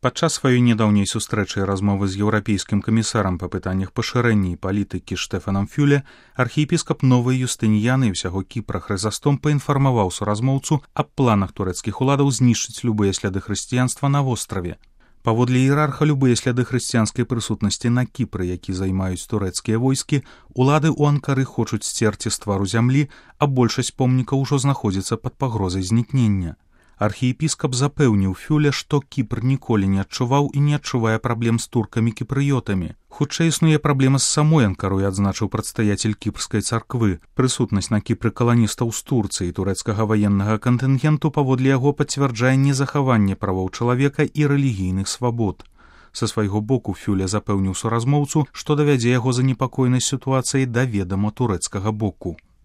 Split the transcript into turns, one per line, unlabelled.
Падчас сваёй нядаўняй сустрэчы і размовы з еўрапейскім камісарам па пытаннях пашырэння і палітыкі Штэфанам Фюле архіепіскап Новай Юстыніяны і ўсяго Кіпра Хрызастом паінфармаваў суразмоўцу аб планах турэцкіх уладаў знішчыць любыя сляды хрысціянства на востраве. Паводле іерарха, любыя сляды хрысціянскай прысутнасці на Кіпры, які займаюць турэцкія войскі, улады ў Анкары хочуць сцерці з твару зямлі, а большасць помнікаў ужо знаходзіцца пад пагрозай знікнення. Архіепіскап запэўніў Фюле, што Кіпр ніколі не адчуваў і не адчувае праблем з туркамі-кіпрыётамі. Хутчэй існуе праблема з самой Анкарой, адзначыў прадстаяцель кіпрскай царквы. Прысутнасць на Кіпры каланістаў з Турцыі і турэцкага ваеннага кантынгенту паводле яго пацвярджае незахаванне правоў чалавека і рэлігійных свабод. Са свайго боку Фюле запэўніў суразмоўцу, што давядзе яго занепакоенасць сітуацыі да ведама турэцкага боку.